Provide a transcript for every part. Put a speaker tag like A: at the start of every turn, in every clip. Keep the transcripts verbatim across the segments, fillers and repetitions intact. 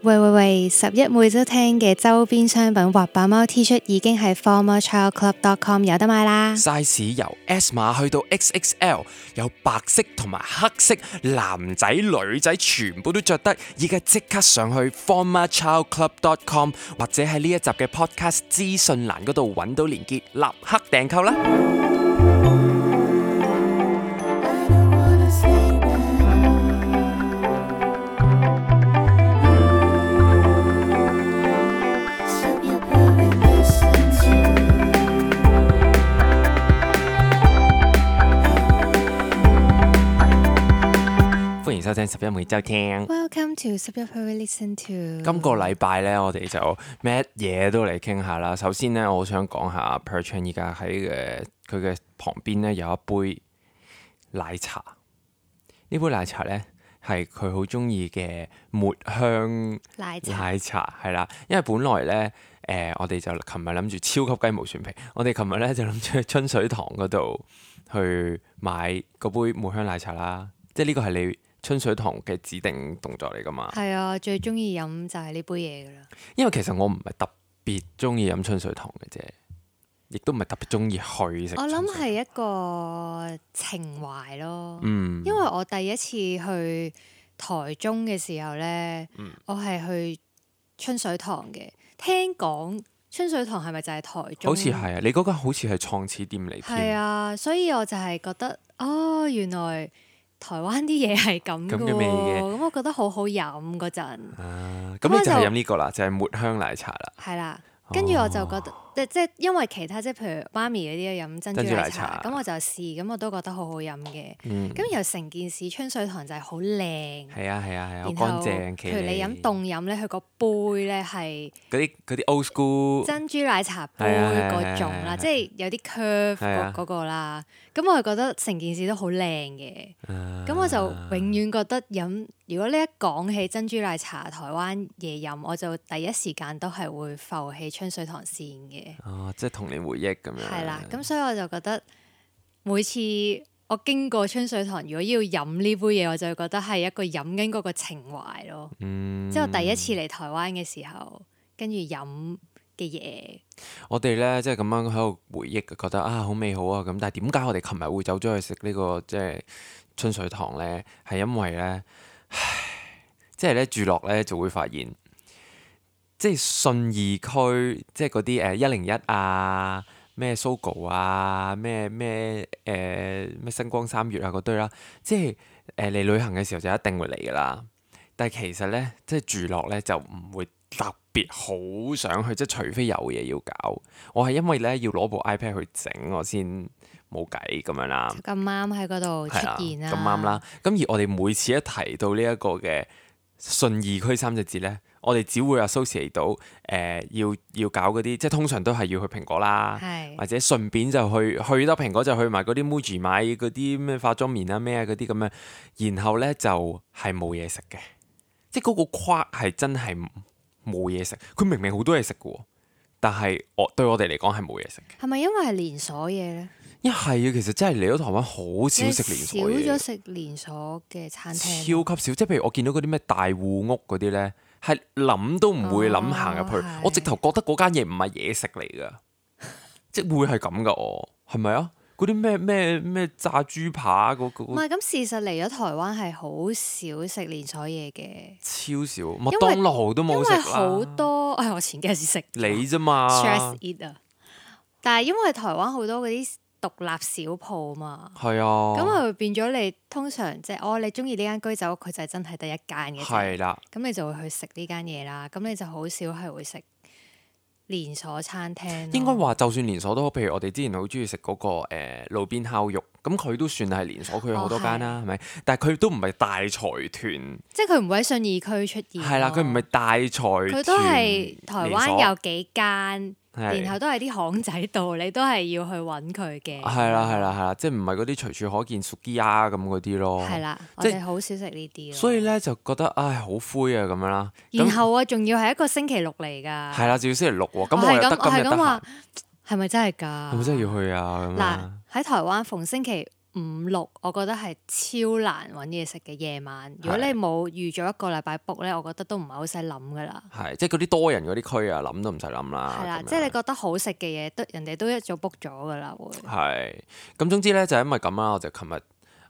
A: 喂喂喂！十一每周聽嘅周邊商品滑板貓 T 恤已經喺 former child club dot com 有得買啦。
B: size 由 S 碼去到 X X L， 有白色同埋黑色，男仔女仔全部都着得。而家即刻上去 former child club dot com 或者喺呢一集嘅 podcast 資訊欄嗰度揾到連結，立刻訂購啦！歡迎收聽十一每週聽。
A: Welcome to 十一 per listen to。
B: 今個禮拜咧，我哋就乜嘢都嚟傾下啦。首先咧，我好想講下 Perchan 依家喺誒佢嘅旁邊咧有一杯奶茶。呢杯奶茶咧係佢好中意嘅抹香
A: 奶茶，
B: 奶茶係啦。因為本來咧誒、呃，我哋就琴日諗住超級雞毛蒜皮，我哋琴日咧就諗住去春水堂嗰度去買嗰杯抹香奶茶啦。即係呢個係你春水堂嘅指定動作嚟噶嘛？
A: 係啊，最中意飲就係呢杯嘢噶啦。
B: 因為其實我唔係特別中意飲春水堂嘅啫，亦都唔係特別中意去食。
A: 我諗係一個情懷咯。
B: 嗯，
A: 因為我第一次去台中嘅時候呢，
B: 嗯、
A: 我係去春水堂嘅。聽講春水堂係咪就係台中？
B: 好似係啊，你嗰間好似係創始店嚟添。
A: 係啊，所以我就係覺得，哦，原來台灣啲嘢係咁嘅
B: 嘅味嘅，
A: 咁我覺得好好飲嗰陣。
B: 啊，咁你就係飲呢個啦，就係抹香奶茶啦。
A: 係啦，跟住我就覺得，即即係因為其他即係譬如媽咪嗰啲飲珍珠奶茶，咁我就試，咁我都覺得好好飲嘅。咁又成件事春水堂就係好靚。
B: 係啊係啊係啊，好
A: 然後
B: 乾淨。
A: 譬如你飲凍飲咧，佢個杯咧係
B: 嗰啲嗰啲 old school
A: 珍珠奶茶杯嗰種啦，即係有啲 curve 嗰嗰個啦。咁我係覺得成件事都好靚嘅。咁我就永遠覺得飲，如果你一講起珍珠奶茶台灣嘢飲，我就第一時間都係會浮起春水堂線嘅。
B: 哦，即係童年回憶咁樣。
A: 係啦，咁所以我就覺得每次我經過春水堂，如果要飲呢杯嘢，我就會覺得係一個飲緊嗰個情懷咯。
B: 嗯，
A: 即係我第一次嚟台灣嘅時候，跟住飲嘅嘢。
B: 我哋咧即係咁樣喺度回憶，覺得啊好美好啊咁。但係點解我哋琴日會走咗去食呢個即係春水堂咧？係因為咧，唉，即係咧住落咧就會發現，即係信義區，即係嗰啲誒一零一啊、咩 Sogo 啊、咩咩誒咩星光三月啊嗰堆啦，即係誒嚟旅行嘅時候就一定會嚟噶啦。但係其實咧，即係住落咧就唔會特別好想去，即係除非有嘢要搞。我係因為咧要攞部 iPad 去整，我先冇計咁樣啦。
A: 咁啱喺嗰度出現啦，
B: 咁啱啦。咁而我哋每次一提到呢一個嘅信義區三隻字咧，我哋只會 associate 到誒、呃、要要搞嗰啲，即係通常都係要去蘋果啦，
A: 係
B: 或者順便就去去得蘋果就去埋嗰啲 Muji 買嗰啲咩化妝棉啊咩啊嗰啲咁樣，然後咧就係冇嘢食嘅。即係嗰個框係真係冇嘢食，佢明明好多嘢食嘅喎，但係我對我哋嚟講係冇嘢食嘅。
A: 係咪因為係連鎖嘢咧？
B: 一係啊，其實真係嚟咗台灣好少食連鎖嘢，
A: 少咗食連鎖嘅餐廳，
B: 超級少。即係譬如我見到嗰啲咩大戶屋嗰啲咧，係諗都唔會諗行入去。
A: 哦、
B: 我直頭覺得嗰間嘢唔係嘢食嚟㗎，即係會係咁㗎哦，係咪啊？嗰啲咩咩咩炸豬扒嗰個，
A: 唔係咁，事實嚟咗台灣係好少食連鎖嘢嘅，
B: 超少，麥當勞都冇食啦。
A: 因為好多，哎，我前幾日先食
B: 你啫嘛
A: ，stress eat 啊！但係因為台灣好多嗰啲獨立小鋪嘛，
B: 係啊，
A: 咁啊變咗你通常即係哦，你中意呢間居酒屋，佢就係真係得一間嘅啫，
B: 係啦，
A: 咁你就會去食呢間嘢啦，咁你就好少係會食連鎖餐廳。
B: 應該話就算連鎖都好，譬如我哋之前好中意食嗰個、呃、路邊烤肉，咁佢都算係連鎖，佢有好多間啦，係咪、哦？但係佢都唔係大財團，
A: 即係佢唔會喺信義區出現。
B: 係啦，佢唔係大財團，
A: 佢都係台灣有幾間。
B: 係
A: 然後都係啲巷仔度，你都係要去揾佢嘅。
B: 係啦，係啦，係啦，即係唔係嗰啲隨處可見 Sukiya 咁嗰啲咯。
A: 係啦，我
B: 即
A: 哋好少食呢啲咯。
B: 所以咧就覺得唉好灰啊咁樣啦。
A: 然後啊，仲要係一個星期六嚟㗎。
B: 係啦，仲要星期六喎。咁
A: 我
B: 我又得今日得閒。
A: 係咁話，係咪真係㗎？
B: 係咪真係要去啊？
A: 嗱，喺台灣逢星期五五六，我覺得係超難揾嘢食嘅夜晚。如果你冇預咗一個禮拜 book 咧，我覺得都唔係好使諗噶啦。
B: 係，即係嗰啲多人嗰啲區啊，諗都唔使諗啦。
A: 係啦，
B: 咁樣
A: 即係你覺得好食嘅嘢，都人哋都一早 book 咗噶啦，會。
B: 係，咁總之咧就係因為咁啦，我就琴日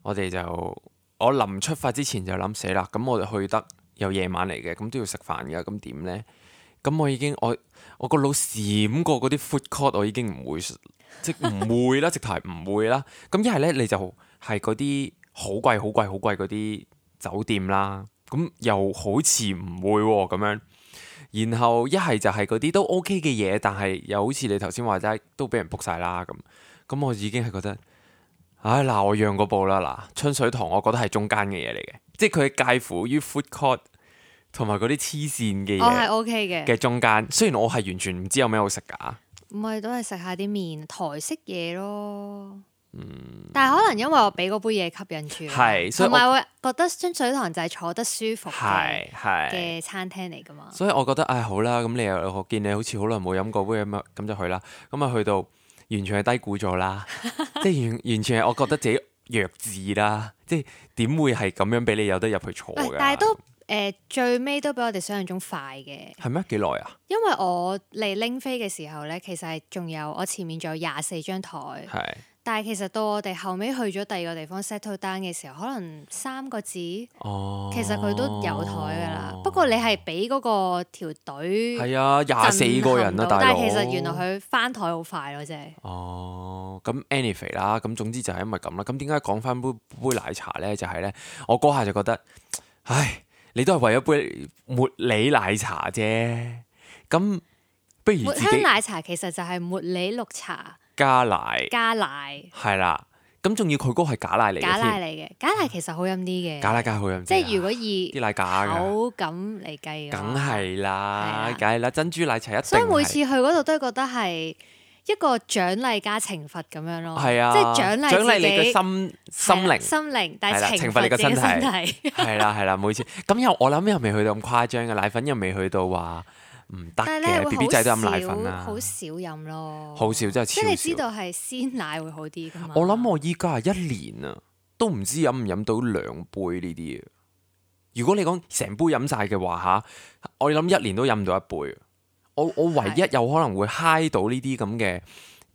B: 我哋就我臨出發之前就諗死啦，咁我哋去得又夜晚嚟嘅，咁都要食飯㗎，咁點咧？咁我已經我我個腦閃過嗰啲 food court，我已經唔會即唔會啦，直頭係唔會啦。咁一係咧你就係嗰啲好貴好貴好貴嗰啲酒店啦，咁又好似唔會喎咁樣。然後一係就係嗰啲都 OK 嘅嘢，但係又好似你頭先話齋都俾人 book 晒啦咁。咁我已經係覺得，唉嗱，我讓嗰步啦嗱，春水堂我覺得係中間嘅嘢嚟嘅，即係佢係介乎於 food court 同埋嗰啲黐線嘅嘢，
A: 我係 OK 嘅
B: 嘅中間。雖然我係完全唔知有咩好食㗎，
A: 唔係都係食下啲麵台式嘢咯。嗯，但係可能因為我俾嗰杯嘢吸引住，
B: 係，所以
A: 同埋會覺得春水堂就係坐得舒服嘅
B: 係係
A: 嘅餐廳嚟㗎嘛。
B: 所以我覺得唉好啦，咁你又我見你好似好耐冇飲過杯咁啊，咁就去啦。咁啊去到完全係低估咗啦，即係完完全係我覺得自己弱智啦，即係點會係咁樣俾你有得入去坐㗎？
A: 但係都誒、呃、最尾都比我哋想象中快嘅。
B: 係咩？幾耐啊？
A: 因為我嚟拎飛嘅時候咧，其實係仲有我前面仲有廿四張台。
B: 係。
A: 但係其實到我哋後尾去咗第二個地方 settle down 嘅時候，可能三個字，
B: 哦、
A: 其實佢都有台㗎啦。不過你係俾嗰個條隊
B: 係啊，廿四個人啊，大佬。
A: 但係其實原來佢翻台好快咯，真係。
B: 哦，咁 anyway 啦，咁總之就係因為咁啦。咁點解講翻杯杯奶茶咧？就係、是、咧，我嗰下就覺得，唉，你都係為咗杯茉莉奶茶啫。咁不如自己
A: 抹香奶茶其實就係茉莉綠茶。
B: 加奶，
A: 加奶
B: 係啦，咁仲要佢嗰個係假奶嚟嘅，
A: 假奶嚟嘅，假奶其實好飲啲嘅，
B: 假奶梗係好飲啲，
A: 即係如果以
B: 啲奶假嘅
A: 口感嚟計嘅，
B: 梗係啦，梗係啦，珍珠奶茶一定，
A: 所以每次去嗰度都係覺得係一個獎勵加懲罰咁樣咯，
B: 係啊，
A: 即係獎勵
B: 獎勵你嘅心心靈，
A: 心靈，但係
B: 懲罰你嘅身
A: 體，
B: 係啦係啦，每次咁又我諗又未去到咁誇張嘅，奶粉又未去到話唔得嘅 ，B B 仔都飲奶粉啦，
A: 好少飲咯，
B: 好少真係超少。
A: 即係你知道係鮮奶會好啲㗎嘛？
B: 我諗我依家係一年啊，都唔知飲唔飲到兩杯呢啲嘢。如果你講成杯飲晒嘅話嚇，我諗一年都飲唔到一杯。我我唯一有可能會嗨到呢啲咁嘅，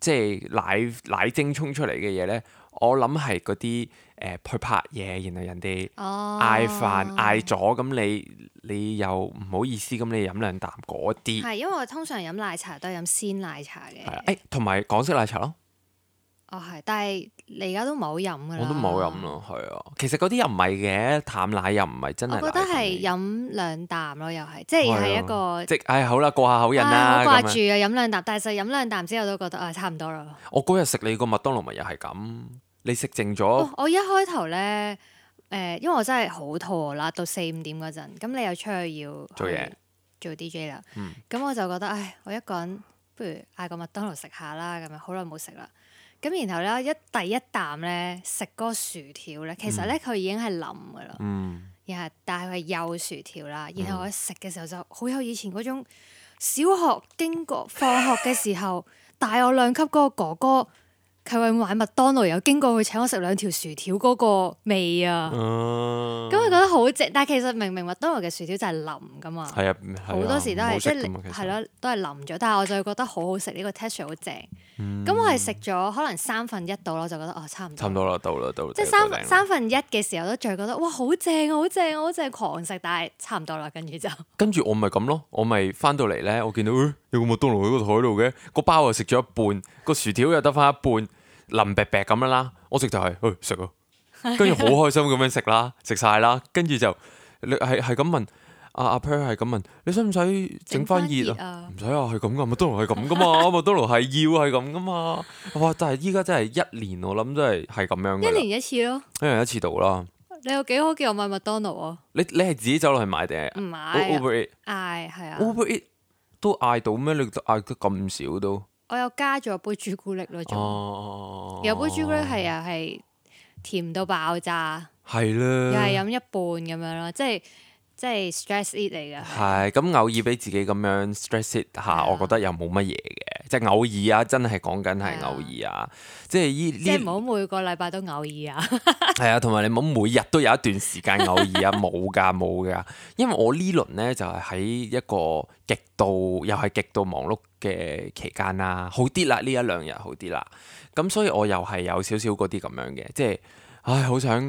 B: 即係奶奶精沖出嚟嘅嘢咧，我諗係嗰啲誒去拍嘢，然後人哋嗌飯嗌咗，咁你你又唔好意思，咁你飲兩啖嗰啲。
A: 係因為我通常飲奶茶都係飲鮮奶茶嘅。
B: 係誒，同埋港式奶茶咯。
A: 哦，係，但係你而家都唔係好飲㗎啦。
B: 我都冇飲咯，係啊。其實嗰啲又唔係嘅，淡奶又唔係真係。
A: 我覺得係飲兩啖咯，又係，即係係一個。
B: 即係唉，好啦，過下口癮啦。
A: 好掛住啊！飲兩啖，但係就飲兩啖之後都覺得啊，差唔多啦。
B: 我嗰日食你個麥當勞咪又係咁，你食剩咗。
A: 哦，我一開頭咧，誒，因為我真係好肚餓啦，到四五點嗰陣，咁你又出去要
B: 做嘢
A: 做 D J 啦，
B: 嗯，
A: 咁我就覺得唉，我一個人不如嗌個麥當勞食下啦，咁樣好耐冇食啦。咁然後咧，一第一啖咧食嗰個薯條咧，其實咧佢已經係腍噶啦，
B: 嗯，
A: 然後但係佢係幼薯條啦。然後我食嘅時候就好有以前嗰種小學經過放學嘅時候，大我兩級嗰個哥哥，佢會買麥當勞，又經過佢請我食兩條薯條嗰個味啊！咁佢覺得好正，但係其實明明麥當勞嘅薯條就係腍噶嘛，
B: 係啊，
A: 好多時都係即係
B: 係
A: 係咯，都係腍咗。但係我就會覺得好好食，呢個 texture 好正。咁我係食咗可能三分一到咯，就覺得哦差唔多。
B: 差唔多啦，到啦，到。
A: 即係三三分一嘅時候都仲係覺得哇好正啊，好正啊，好正，狂食，但係差唔多啦，跟住就。
B: 跟住我咪咁咯，我咪翻到嚟咧，我見到誒有個麥當勞喺個台度嘅，個包又食咗一半，個薯條又得翻一半。腍白白咁樣啦，我食就係去食啊，跟住好開心咁樣食啦，食晒啦，跟住就你係係咁問阿阿 Per 係咁問，你使唔使整翻熱啊？唔使啊，係咁噶，麥當勞係咁噶嘛，麥當勞係要係咁噶嘛。哇！但係依家真係一年，我諗真係係咁樣。
A: 一年一次咯，
B: 一年一次到啦。
A: 你有幾好叫我買麥當勞啊？
B: 你你係自己走落去買定係？
A: 唔買
B: Uber Eat
A: 嗌係啊。
B: Uber Eat 都嗌到咩？你嗌得咁少都？
A: 我有加咗杯朱古力咯，仲、
B: 哦、
A: 有杯朱古力係又係甜到爆炸，
B: 係啦，
A: 又係飲一半咁樣咯，即係即係 stress eat 嚟㗎。
B: 係咁偶爾俾自己咁樣 stress eat 下，我覺得又冇乜嘢嘅，即係偶爾啊，真係講緊係偶爾啊，即係依呢，
A: 即係唔好每個禮拜都偶爾啊。
B: 係啊，同埋你唔好每日都有一段時間偶爾啊，冇㗎冇㗎，因為我呢輪咧就係喺一個極度又係極度忙碌嘅期間啦，好啲啦，呢一兩日好啲啦，咁所以我又係有少少嗰啲咁樣嘅，即係唉好想，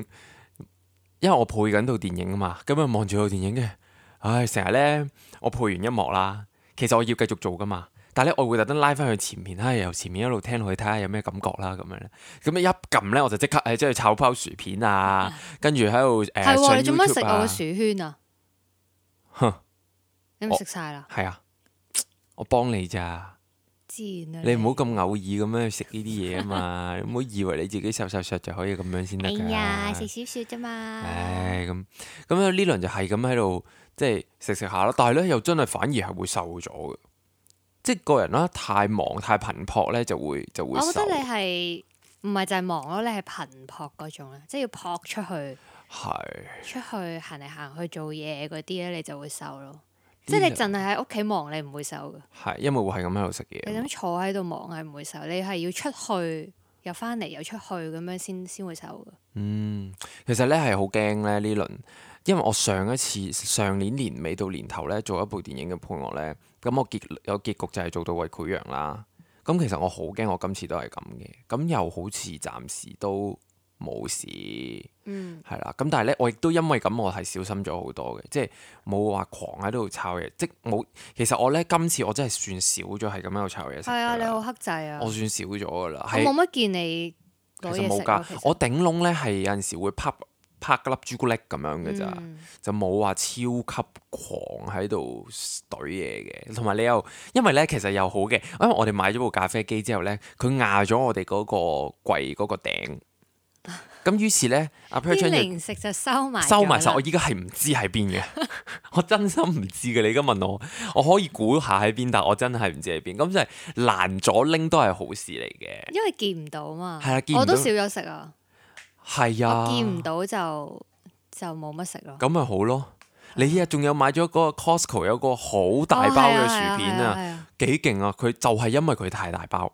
B: 因為我配緊套電影啊嘛，咁啊望住套電影嘅，唉成日咧我配完音樂啦，其實我要繼續做噶嘛。但係咧，我會特登拉翻去前面，唉，由前面一路聽落去睇下有咩感覺啦，咁樣咧。咁一撳咧，我就即刻誒，即係炒包薯片啊，跟住喺度誒。係喎，
A: 你做乜食我個薯圈啊？
B: 哼！
A: 你咪食晒啦？
B: 係啊，我幫你咋？
A: 自然啊！
B: 你唔好咁偶爾咁樣食呢啲嘢啊嘛！你唔好以為你自己瘦瘦削就可以咁樣先得㗎。
A: 哎呀，食少少啫嘛。
B: 唉，咁咁呢輪就係咁喺度，即係食食下啦。但係咧，又真係反而係會瘦咗嘅。即係個人啦，太忙太頻撲咧，就會就會瘦。我覺得
A: 你係唔係就係忙咯？你係頻撲嗰種咧，即係要撲出去，
B: 係
A: 出去行嚟行去做嘢嗰啲咧，你就會瘦咯。即係你淨係喺屋企忙，你唔會瘦嘅。係
B: 因為會係咁喺度食嘢。
A: 你咁坐喺度忙係唔會瘦，你係要出去又翻嚟又出去咁樣先先會瘦嘅。
B: 嗯，其實咧係好驚咧呢輪，因為我上一次上年年尾到年頭咧做一部電影嘅配樂咧。咁我結有結局就係做到胃潰瘍啦。咁其實我好驚，我今次都係咁嘅。咁又好似暫時都冇事，
A: 嗯，
B: 係啦。咁但係咧，我亦都因為咁，我係小心咗好多嘅，即係冇話狂喺度炒嘢。即冇，其實我咧今次我真係算少咗係咁喺度炒嘢食。係
A: 啊，你好克制啊！
B: 我算少咗噶啦。
A: 我冇乜見你攞嘢食。其實冇㗎，
B: 我頂籠咧係有陣時會啪拍粒朱古力咁樣嘅咋，嗯、就冇話超級狂喺度懟嘢嘅。同埋你又因為咧，其實又好嘅，因為我哋買咗部咖啡機之後咧，佢壓咗我哋嗰個櫃嗰個頂。咁於是咧，阿 Per
A: 啲零食就收埋
B: 收埋晒。我依家係唔知喺邊嘅，我真心唔知嘅。你而家問我，我可以估下喺邊，但我真係唔知喺邊。咁就係難咗拎都係好事嚟嘅，
A: 因為見唔到嘛。
B: 係啊，見唔到
A: 我都少咗食啊。
B: 係啊，
A: 我見唔到就就冇乜食咯。
B: 咁咪好咯。你依日仲有買咗嗰個 Costco 有個好大包嘅薯片啊，幾勁啊！佢就係因為佢太大包，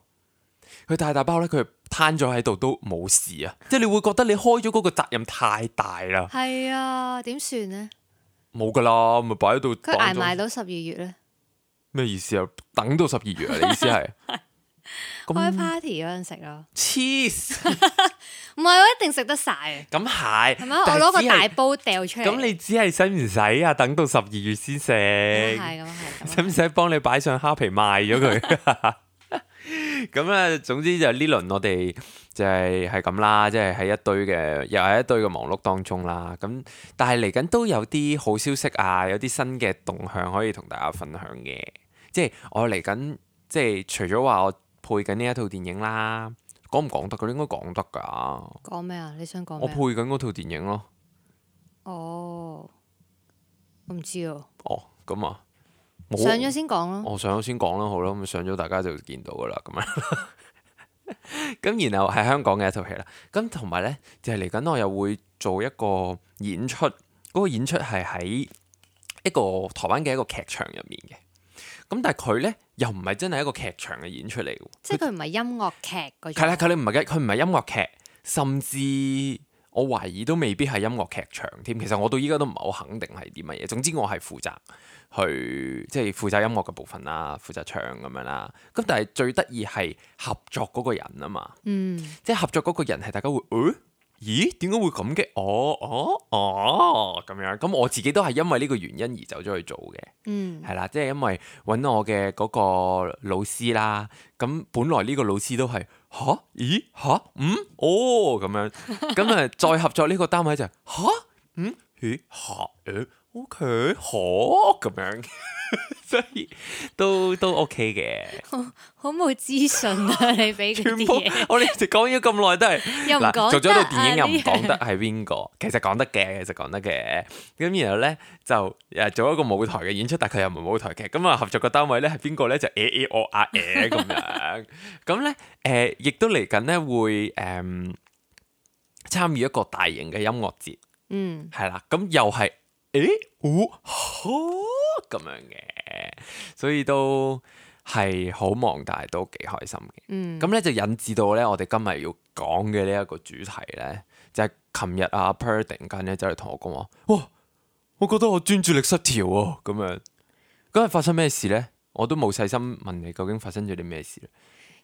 B: 佢太大包咧，佢攤咗喺度都冇事啊！即係你會覺得你開咗嗰個責任太大啦。
A: 係啊，點算呢？
B: 冇噶啦，咪擺喺度。
A: 佢捱埋到十二月咧？
B: 咩意思啊？等到十二月啊？你意思係？
A: 開 party 嗰陣食咯，
B: 黐線！
A: 唔係我一定食得晒。
B: 咁係，
A: 係咪？我攞個大煲掉出嚟。
B: 咁你只係使唔使啊？等到十二月先食。
A: 係咁係。
B: 使唔使幫你擺上蝦皮賣咗佢？咁咧，總之就呢輪我哋就係係咁啦，即係喺一堆嘅，又係一堆嘅忙碌當中啦。咁但係嚟緊都有啲好消息啊，有啲新嘅動向可以同大家分享嘅。即係我嚟緊，即係除咗話我配緊呢一套電影啦，講唔講得？佢應該講得㗎。
A: 講咩啊？你想講咩？
B: 我配緊嗰套電影咯。
A: 哦，我唔知啊。
B: 哦，咁啊。
A: 上咗先講咯，
B: 我上咗先講啦，好啦，咁上咗大家就見到噶啦，咁樣。咁然後係香港嘅一套戲啦，咁同埋咧就係嚟緊我又會做一個演出，嗰、嗰個演出係喺一個台灣嘅一個劇場入面嘅。咁但係佢咧又唔係真係一個劇場嘅演出嚟嘅，
A: 即係佢唔係音樂劇嗰種。
B: 係啦，佢唔係嘅，佢唔係音樂劇，甚至我懷疑都未必係音樂劇場添。其實我到依家都唔係好肯定係啲乜嘢。總之我係負責。去即係負責音樂嘅部分啦，負責唱咁樣啦。咁但係最得意係合作嗰個人啊嘛，
A: 嗯，
B: 即係合作嗰個人係大家會，誒、欸，咦，點解會咁嘅？哦，哦，哦，咁樣。咁我自己都係因為呢個原因而走咗去做嘅，
A: 嗯，
B: 係啦，即係因為揾我嘅嗰個老師啦。咁本來呢個老師都係吓，咦，吓，嗯，哦，咁樣。咁啊，再合作呢個單位就係吓，嗯，咦，吓，誒。O K，好咁樣，所以都都 O K 嘅。
A: 好冇資訊啊！你俾嗰啲嘢，
B: 我哋一直講咗咁耐都係，
A: 又唔講得。
B: 做咗套電影又唔講得係邊個？其實講得嘅，其實講得嘅。咁然後咧就誒做一個舞台嘅演出，但係佢又唔係舞台劇。咁啊合作嘅單位咧係邊個咧？就誒誒我啊誒咁樣。咁咧誒亦都嚟緊咧會誒參與一個大型嘅音樂節。
A: 嗯，
B: 係啦，咁又係。誒，哦，好咁樣嘅，所以都係好忙，但係都幾開心嘅。
A: 嗯，
B: 咁咧就引致到咧，我哋今日要講嘅呢一個主題咧，就係琴日阿 Per 突然間咧走嚟同我講話，哇！我覺得我專注力失調喎，咁樣。嗰日發生咩事咧？我都冇細心問你究竟發生咗啲咩事咧。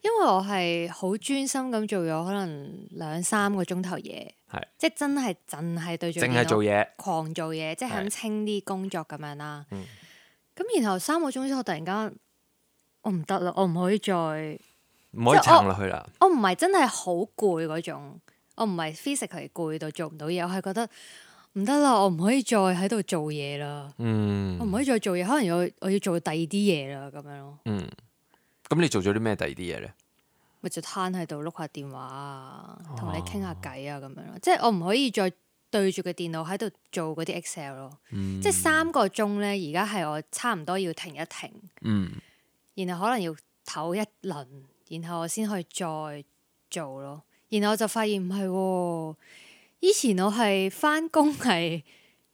A: 因為我係好專心咁做咗可能兩三個鐘頭嘢，
B: 係
A: 即係真係淨係對住
B: 淨係做嘢，
A: 狂做嘢，即係肯清啲工作咁樣啦。咁、
B: 嗯、
A: 然後三個鐘之後，突然間我唔得啦，我唔可以再
B: 唔可以撐落去啦。
A: 我唔係真係好攰嗰種，我唔係 physically 攰到做唔到嘢，我係覺得唔得啦，我唔可以再喺度做嘢啦。
B: 嗯，
A: 我唔可以再做嘢，可能要我要做第二啲嘢啦，咁樣咯。
B: 嗯，咁你做咗啲咩第二啲嘢咧？
A: 咪就攤喺度碌下電話啊，同你傾下偈啊，咁樣咯。即係我唔可以再對住個電腦喺度做嗰啲 Excel 咯。
B: 嗯、
A: 即係三個鐘咧，而家係我差唔多要停一停，
B: 嗯、
A: 然後可能要唞一輪，然後我先可以再做咯。然後我就發現唔係喎。以前我係翻工係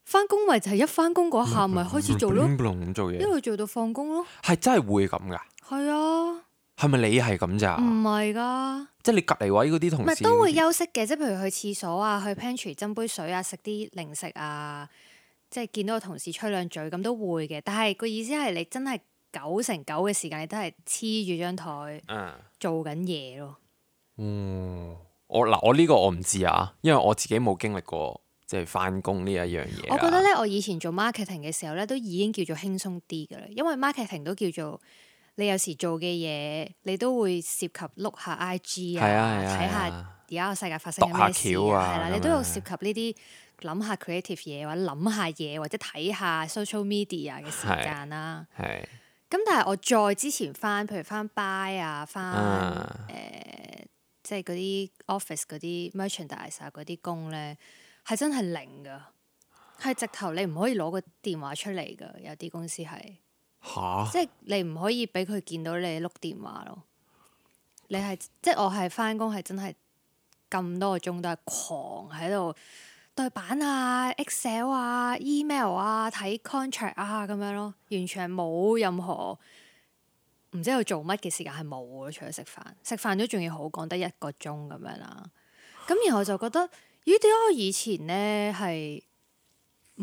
A: 翻工，咪就係一翻工嗰下咪開始做咯，一路做到放工咯。
B: 係真係會咁噶？
A: 係啊。
B: 係咪你係咁咋？
A: 唔係噶，
B: 即係你隔離位嗰啲同事，
A: 唔係都會休息嘅，即係譬如去廁所啊，去 pantry 斟杯水啊，食啲零食啊，即係見到個同事吹兩嘴咁都會嘅。但係個意思係你真係九成九嘅時間，你都係黐住張台做緊嘢咯。
B: 嗯，我嗱我呢個我唔知啊，因為我自己冇經歷過即係翻工呢一樣嘢。
A: 我覺得咧，我以前做 marketing 嘅時候咧，都已經叫做輕鬆啲噶啦，因為 marketing 都叫做。你有時做嘅嘢，你都會涉及碌下 I G 啊，睇下而家個世界發生緊咩事啊，係啦，你都有涉及呢啲諗下 creative 嘢，或者諗下嘢，或者睇下 social media 嘅時間啦。
B: 係。
A: 咁但係我再之前翻，譬如翻 buy 啊，翻誒，即係嗰啲 office 嗰啲 merchandise 啊嗰啲工咧，係真係零噶，係直頭你唔可以攞個電話出嚟噶，有啲公司係。
B: 嚇！
A: 即係你唔可以俾佢見到你碌電話咯。你係即係我係翻工係真係咁多個鐘都係狂喺度對版啊、Excel 啊、email 啊、睇 contract 啊咁樣咯，完全係冇任何唔知佢做乜嘅時間係冇咯，除咗食飯，食飯都仲要好講得一個鐘咁樣啦。咁然後就覺得咦，點解我以前咧係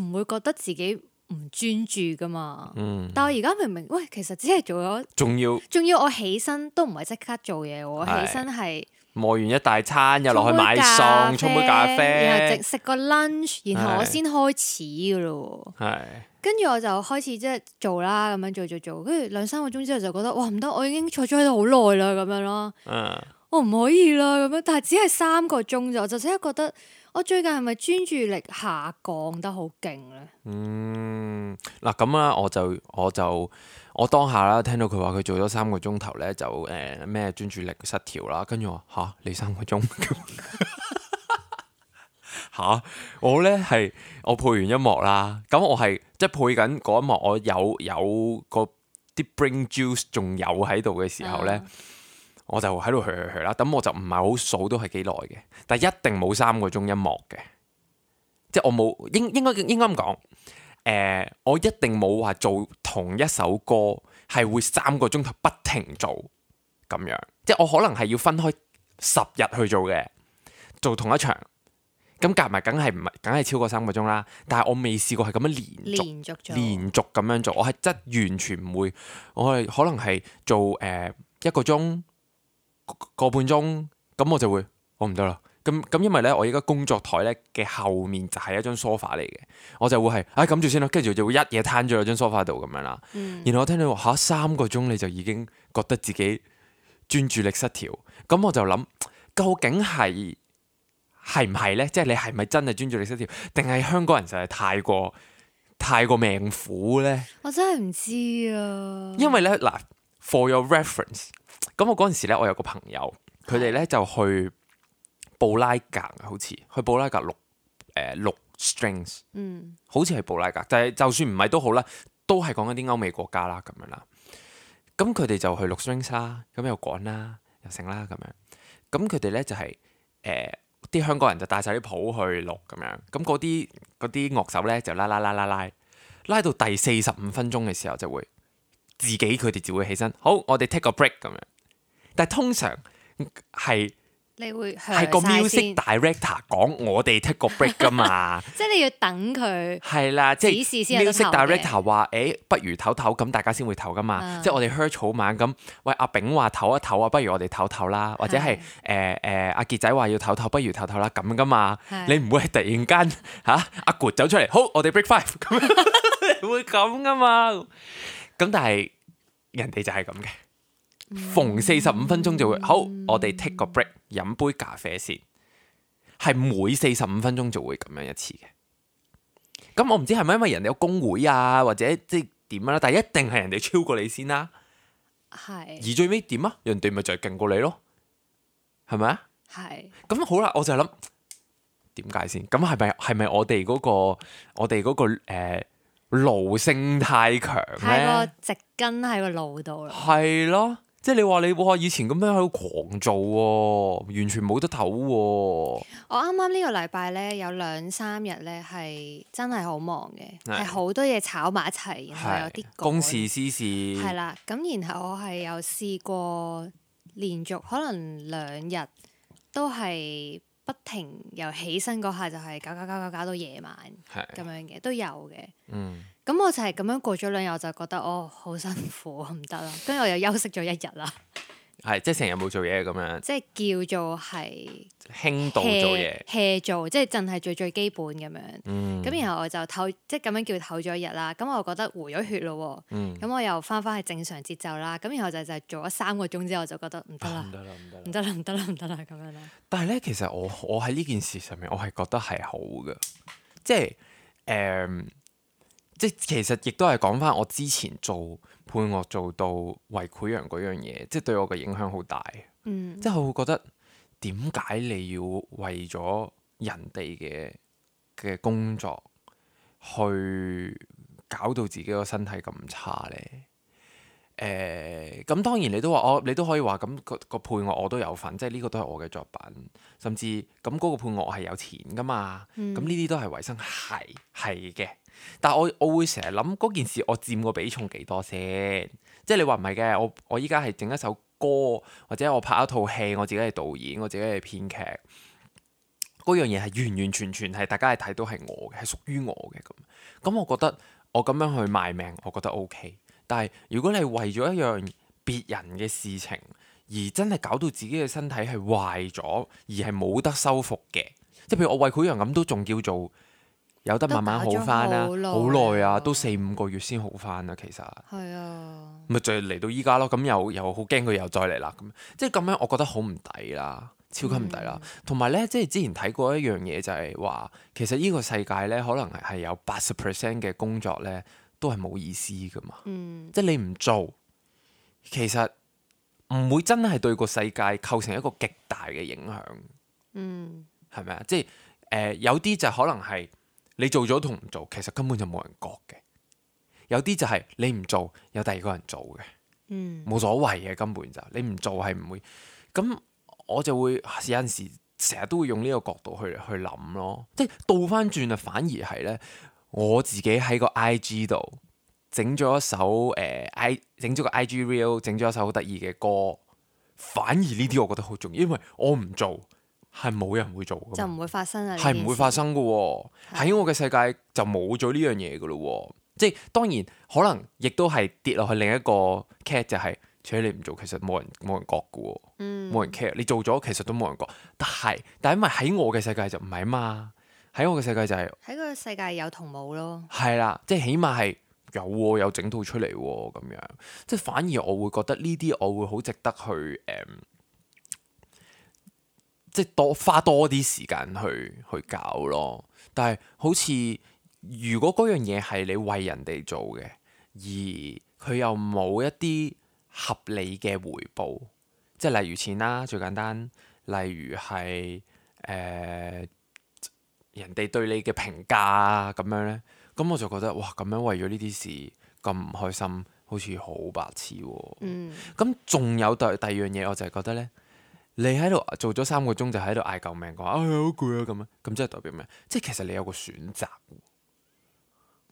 A: 唔會覺得自己唔專注噶嘛，嗯、但我而家明明喂，其實只係做咗，仲要仲要我起身都唔係即刻做嘢，我起身係
B: 磨完一大餐，又落去買餸，沖杯咖啡，
A: 然後食食個 lunch，然後我先開始噶咯。係，跟住我就開始即係做啦，咁樣做做做，跟住兩三個鐘之後就覺得哇唔得，我已經坐咗喺度好耐啦，咁樣咯。嗯、我唔可以啦，咁樣，但係只係三個鐘咋，我就即刻覺得。我最近係咪專注力下降得好勁咧？
B: 嗯，嗱咁啦，我就我就我當下啦，聽到佢話佢做咗三個鐘頭咧，就誒咩專注力失調啦，跟住我話嚇你三個鐘嚇我咧係我配完音樂啦，咁我係即係配緊嗰一幕，我有有個啲 brain juice 仲有喺度嘅時候咧。嗯我就喺度去去去啦，咁我就唔係好數都係幾耐嘅，但係一定冇三個鐘音樂嘅，即係我冇應應該應該咁講，誒、呃，我一定冇話做同一首歌係會三個鐘頭不停做咁樣，即係我可能係要分開十日去做嘅，做同一場，咁夾埋梗係唔係梗係超過三個鐘啦，但係我未試過係咁樣連續
A: 連續做
B: 連續咁樣做，我係真完全唔會，我係可能係做誒、呃、一個鐘。個半鐘咁我就會我唔得啦，咁咁因為咧我而家工作台咧嘅後面就係一張 sofa 嚟嘅，我就會係唉撳住先啦，跟住就會一嘢攤咗喺張 sofa 度咁樣啦。嗯、然後我聽到話嚇三個鐘你就已經覺得自己專注力失調，咁我就諗究竟係係唔係咧？即係你係咪真係專注力失調，定係香港人實係太過太過命苦咧？
A: 我真係唔知啊。因
B: 為咧嗱 ，for your reference。咁我嗰陣時咧，我有個朋友，佢哋咧就去布拉格，好似去布拉格錄誒錄 strings，嗯，好似係布拉格，但係就算唔係都好啦，都係講緊啲歐美國家啦咁樣啦。咁佢哋就去錄 strings 啦，咁又趕啦，又成啦咁樣。咁佢哋咧就係誒啲香港人就帶晒啲譜去錄咁樣，咁嗰啲嗰啲樂手咧就拉拉拉拉拉拉到第四十五分鐘嘅時候就會自己佢哋就會起身，好，我哋 take 個 break 咁樣。但係通常係
A: 你會
B: 係個 music director 講我哋 take 個 break 噶嘛，
A: 即係你要等佢
B: 係啦，即係 music director 話誒，不如唞唞，咁大家先會唞噶嘛。啊、即係我哋 hear 草蜢咁，喂阿炳話唞一唞啊，不如我哋唞唞啦，或者係誒誒阿傑仔話要唞唞，不如唞唞啦咁噶嘛。你唔會係突然間嚇阿 good 走出嚟，好我哋 break five 咁樣會咁噶嘛？咁但係人哋就係咁嘅。逢四十五分鐘就會好，我哋 take 個 break，飲杯咖啡先，係每四十五分鐘就會咁樣一次嘅。咁我唔知係咪因為人哋有工會啊，或者即係點啦，但係一定係人哋超過你先啦。係是。而最尾點啊？人哋咪就係勁過你咯，係咪啊？係是。咁好啦，我就諗點解先？咁係咪係咪我哋嗰個我哋嗰個誒奴性太強咧？
A: 太過植根喺個腦度啦。
B: 係咯。即係你話你哇以前咁樣喺度狂做喎，完全冇得唞喎。
A: 我啱啱呢個禮拜咧有兩三日咧係真係好忙嘅，係好的多嘢炒埋一齊，然後有啲
B: 公事私事。
A: 係啦，咁然後我係有試過連續可能兩日都係不停由起身嗰下就係搞搞搞搞搞到夜晚咁樣嘅都有嘅。嗯。咁我就係咁樣過咗兩日，我就覺得哦好辛苦，唔得啦。跟住我又休息咗一日啦。
B: 係即係成日冇做嘢咁樣。
A: 即係叫做係
B: 輕度做嘢
A: ，hea 做，即係淨係最最基本咁樣。咁、嗯、然後我就唞，即係咁樣叫唞咗一日啦。咁我覺得回咗血咯。咁、嗯、我又翻返去正常節奏啦。咁然後就就係做咗三個鐘之後，我就覺得唔得啦，唔得啦，唔得啦，唔得啦，唔得啦咁樣啦。
B: 但係咧，其實我我喺呢件事上面，我係覺得係好嘅，即係誒。嗯即其實亦都係講翻我之前做配樂做到為潰瘍嗰樣嘢，即係對我嘅影響好大。嗯、即係我會覺得點解你要為咗人哋嘅嘅工作去搞到自己個身體咁差呢？誒、呃，咁當然你都話我，你都可以話咁個個配樂我都有份，即係呢個都係我嘅作品，甚至咁嗰個配樂我係有錢噶嘛。咁呢啲都係維生，係係嘅。但係我我會成日諗嗰件事，我佔個比重幾多先？即係你話唔係嘅，我我依家係整一首歌，或者我拍一套戲，我自己係導演，我自己係編劇，嗰樣嘢係完完全全係大家係睇到係我嘅，係屬於我嘅咁。咁我覺得我咁樣去賣命，我覺得 OK。但係如果你係為咗一樣別人嘅事情，而真係搞到自己嘅身體係壞咗，而係冇得修復嘅，即係譬如我為潰瘍咁，都仲叫做有得慢慢好翻啦，好耐啊，都四五個月先好翻啊，其實係啊，咪就係嚟到依家咯。咁又又好驚佢又再嚟啦，咁即係咁樣，我覺得好唔抵啦，超級唔抵啦。同埋咧，即係之前睇過一樣嘢，就係話其實呢個世界咧，可能係有八十 percent 嘅工作咧，都係冇意思噶嘛。嗯、即係你唔做，其實唔會真係對個世界構成一個極大嘅影響。嗯，係咪啊？即係誒、呃，有啲就可能係。你做咗同唔做，其實根本就冇人覺嘅。有啲就係你唔做，有第二個人做嘅，嗯，冇所謂嘅，根本就你唔做係唔會。咁我就會有陣時成日都會用呢個角度去去諗咯。即係倒翻轉啊，反而係咧，我自己喺個 I G 度整咗一首誒 I 整咗個 I G reel， 整咗一首好得意嘅歌。反而呢啲我覺得好重要，因為我唔做。係冇人會做嘅，
A: 就唔會發生啊！
B: 係唔會發生嘅喎，喺的我嘅世界就冇咗呢樣嘢嘅咯喎。即係當然可能亦都係跌落去另一個 cat 就係、是，除咗你唔做，其實冇人冇人覺嘅喎，冇、嗯、人 care。你做咗其實都冇人覺，但係但係因為喺我嘅世界就唔係啊嘛。喺我嘅世界就係、是、
A: 喺個世界有同冇咯。
B: 係啦，即係起碼係有喎，有整套出嚟喎咁樣。即係反而我會覺得呢啲我會好值得去誒。嗯即係多花多啲時間去去搞咯，但係好似如果嗰樣嘢係你為人哋做嘅，而佢又冇一啲合理嘅回報，即係例如錢啦，最簡單，例如係誒、呃、人哋對你嘅評價啊咁樣咧，咁我就覺得哇，咁樣為咗呢啲事咁唔開心，好似好白痴喎。嗯，咁仲有第第二樣嘢，我就係覺得咧。你喺度做咗三個鐘就喺度嗌救命，講啊好攰啊咁樣，咁即係代表咩？即係其實你有個選擇，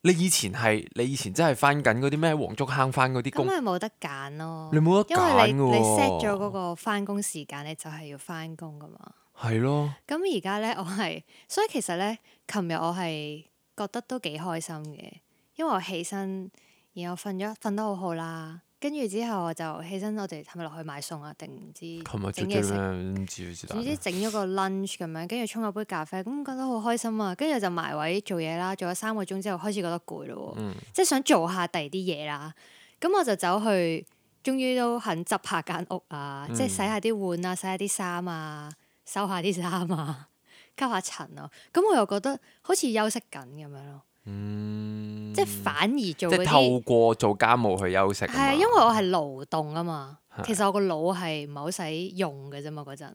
B: 你以前係你以前真係翻緊嗰啲咩黃竹坑翻嗰啲工，
A: 咁咪冇得揀咯。
B: 你冇得揀喎。
A: 因為你你 set 咗嗰個翻工時間，你就係要翻工噶嘛。
B: 係咯。
A: 咁而家咧，我係所以其實咧，琴日我係覺得都幾開心嘅，因為我起身，然後瞓咗瞓得好好啦。跟住之後我就起身，我哋係咪落去買餸啊？定唔知整嘢食？
B: 唔知
A: 總之整咗個 lunch 咁樣，跟住沖咗杯咖啡，咁覺得好開心啊！跟住就埋位做嘢啦，做咗三個鐘之後開始覺得攰咯，嗯、即係想做下第二啲嘢啦。咁我就走去，終於都肯執下間屋啊，嗯、即係洗下啲碗啊，洗下啲衫啊，收下啲衫啊，吸下塵啊。咁我又覺得好似休息緊咁樣咯。嗯、即係反而做嗰啲，
B: 即係透過做家務去休息。係
A: 啊，因為我係勞動啊嘛，的其實我個腦係唔係好使用嘅啫嘛嗰陣，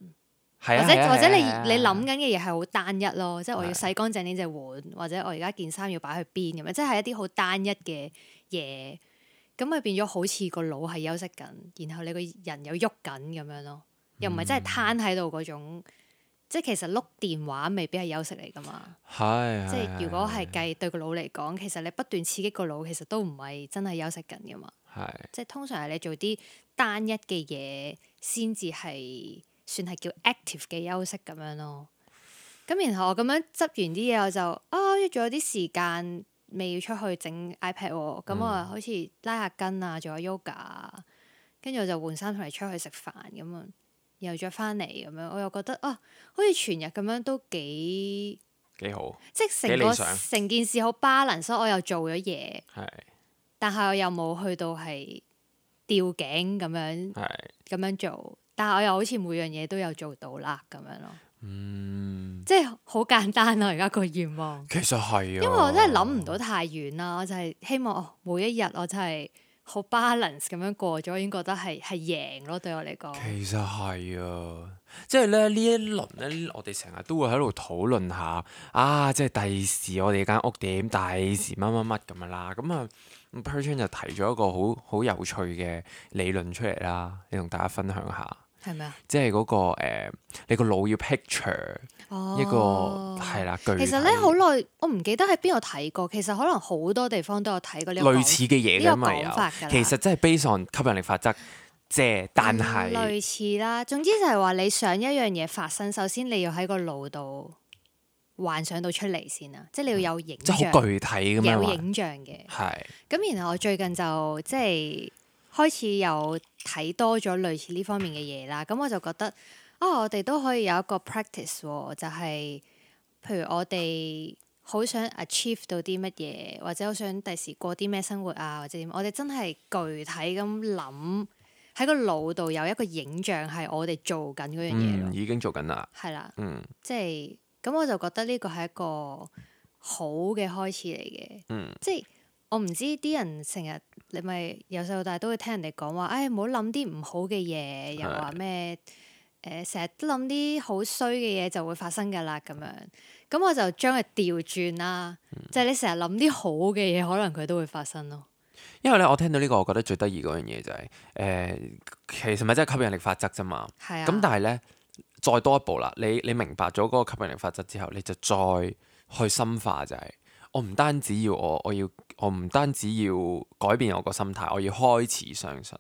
A: 或者或者你你諗緊嘅嘢係好單一咯，即係我要洗乾淨呢隻碗，的或者我而家件衫要擺去邊咁樣，即係一啲好單一嘅嘢，咁咪變咗好似個腦係休息緊，然後你個人又喐緊咁樣咯，又唔係真係攤喺度嗰種。即係其實碌電話未必係休息嚟㗎嘛，
B: 係
A: 即係如果係計對個腦嚟講，其實你不斷刺激個腦，其實都唔係真係休息緊㗎嘛。係即係通常係你做啲單一嘅嘢，先至係算係叫 active 嘅休息咁樣咯。咁然後我咁樣執完啲嘢，我就啊，仲有啲時間未要出去整 iPad 喎。咁我好似拉下筋啊，做下 yoga，跟住我就換衫同你出去食飯咁啊。又再翻嚟咁樣，我又覺得啊，好似全日咁樣都幾
B: 幾好，
A: 即係成個成件事好 balance，所以我又做咗嘢，
B: 係
A: 但係我又冇去到係吊頸咁樣，係咁樣做，但係我又好似每樣嘢都有做到啦咁樣咯，嗯，即係好簡單啊！而家個願望
B: 其實係啊，
A: 因為我真係諗唔到太遠啦，我就係希望哦，每一日我真係。好 balance 咁樣過咗，已經覺得係係贏咯，對我嚟講。
B: 其實係啊，即係咧呢一輪咧，我哋成日都會喺度討論下啊，即係第時我哋間屋點，第時乜乜乜咁樣啦。咁啊，Perchan 就提咗一個好好有趣嘅理論出嚟啦，你同大家分享下。
A: 係咪啊？
B: 即係嗰、那個、呃、你個腦要 picture、哦、一個係啦，具體。
A: 其實咧好耐，我唔記得喺邊度睇過。其實可能好多地方都有睇過呢個
B: 類似嘅嘢㗎嘛，有。其實真係 based on吸引力法則，即係但係、
A: 嗯、類似啦。總之就係話你想一樣嘢發生，首先你要喺個腦度幻想到出嚟先啊，即係你要有影像，
B: 即係好具體咁樣，
A: 有影像嘅。係。咁然後我最近就即係。開始有睇多咗類似呢方面嘅嘢啦，咁我就覺得啊、哦，我哋都可以有一個 practice 喎，就係、是、譬如我哋好想 achieve 到啲乜嘢，或者好想第時過啲咩生活啊，或者點，我哋真係具體咁諗喺個腦度有一個影像係我哋做緊嗰樣嘢咯。
B: 嗯，已經做緊啦。係
A: 啦。嗯。即係咁，我就覺得呢個係一個好嘅開始嚟嘅。嗯。即係。我唔知啲人成日你咪由細到大都會聽人哋講話，唉，唔好諗啲唔好嘅嘢，又話咩誒，成日都諗啲好衰嘅嘢就會發生㗎啦咁樣。咁我就將佢調轉啦，嗯、就係你成日諗啲好嘅嘢，可能佢都會發生咯。
B: 因為咧，我聽到呢個，我覺得最得意嗰樣嘢就係、是、誒、呃，其實咪真係吸引力法則啫嘛。係啊。咁但係咧，再多一步啦，你你明白咗嗰個吸引力法則之後，你就再去深化就係、是。我唔單止要我，我要我唔單止要改變我個心態，我要開始相信，